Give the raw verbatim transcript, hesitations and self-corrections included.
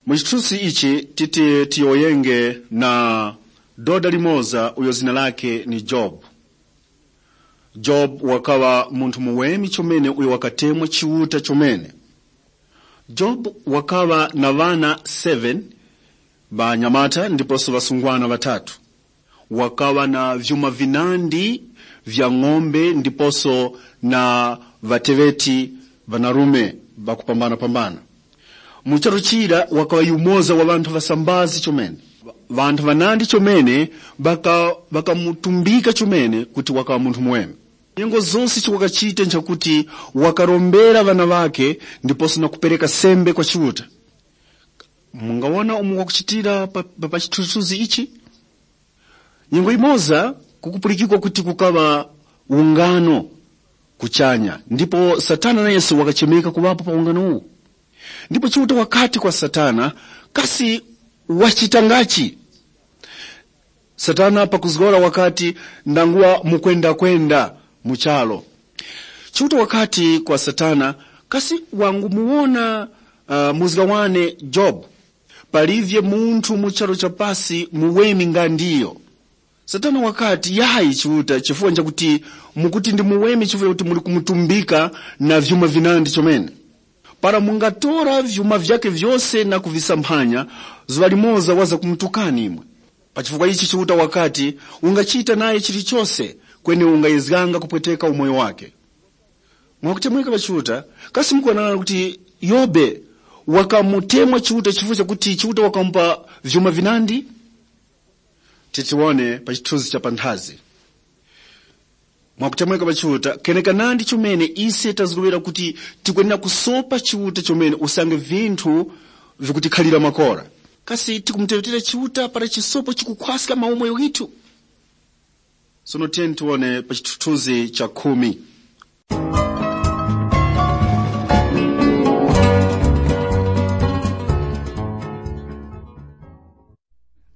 Mu chithunzi ichi titi tiyowoyenge na doda limoza uyo zina lake ni Jobu. Jobu wakaŵa munthu muweme chomene uyo wakatemwa Chiuta chomene. Jobu wakaŵa na ŵana seven, ŵanyamata ndiposo ŵasungwana ŵatatu. Wakaŵa na vyuma vinandi vya ng'ombe ndiposo na ŵateŵeti ŵanarume ŵakupambana-pambana. Mu charu chira wakaŵa yumoza wa ŵanthu ŵasambazi chomene. Ŵanthu ŵanandi chomene ŵaka- ŵakamutumbika chomene kuti wakaŵa munthu muweme. Nyengo zose icho wakachita nchakuti wakarombera ŵana ŵakhe ndiponso na kupereka sembe kwa Chiuta. Mungawona umo wakuchitira pa, pa, pa chithunzithunzi ichi? Nyengo imoza kukupulikikwa kuti kukaŵa ungano kuchanya, ndipo Satana nayeso wakachemeka kuŵapo pa ungano uwu. Ndipo Chiuta wakati kwa Satana, kasi wachitangachi? Satana pakuzgora wakati, ndanguwa mukwendakwenda mu charo. Chiuta wakati kwa Satana, kasi wangumuwona uh, muzga wane Jobu? Palivye munthu mu charu cha pasi muweme nga ndiyo. Satana wakati, yayi Chiuta, chifukwa chakuti mukuti ndi muweme chifukwa chakuti muli kumutumbika na vyuma vinandi chomene. Para mungatora vyuma vyakhe vyose na kuvisamphanya, zuŵa limoza waza kumutukani imwe. Pa chifukwa ichi Chiuta wakati, ungachita naye chilichose, kweni ungayezganga kupweteka umoyo wake. Mwakutemweka pa Chiuta, kasi mukuwonanga kuti Yobe wakamutemwa Chiuta chifukwa chakuti Chiuta wakamupa vyuma vinandi? Titiwone pa chithunzi cha panthazi. Mwakutemweka pa Chiuta, kenekanandi chomene ise tazgowera kuti tikwenera kusopa Chiuta chomene usange vinthu vikutikhalira makora. Kasi tikumuteŵetera Chiuta para chisopo chikukhwaska maumoyo ghithu? Sono tiyeni tiwone pa chithunzi cha khumi.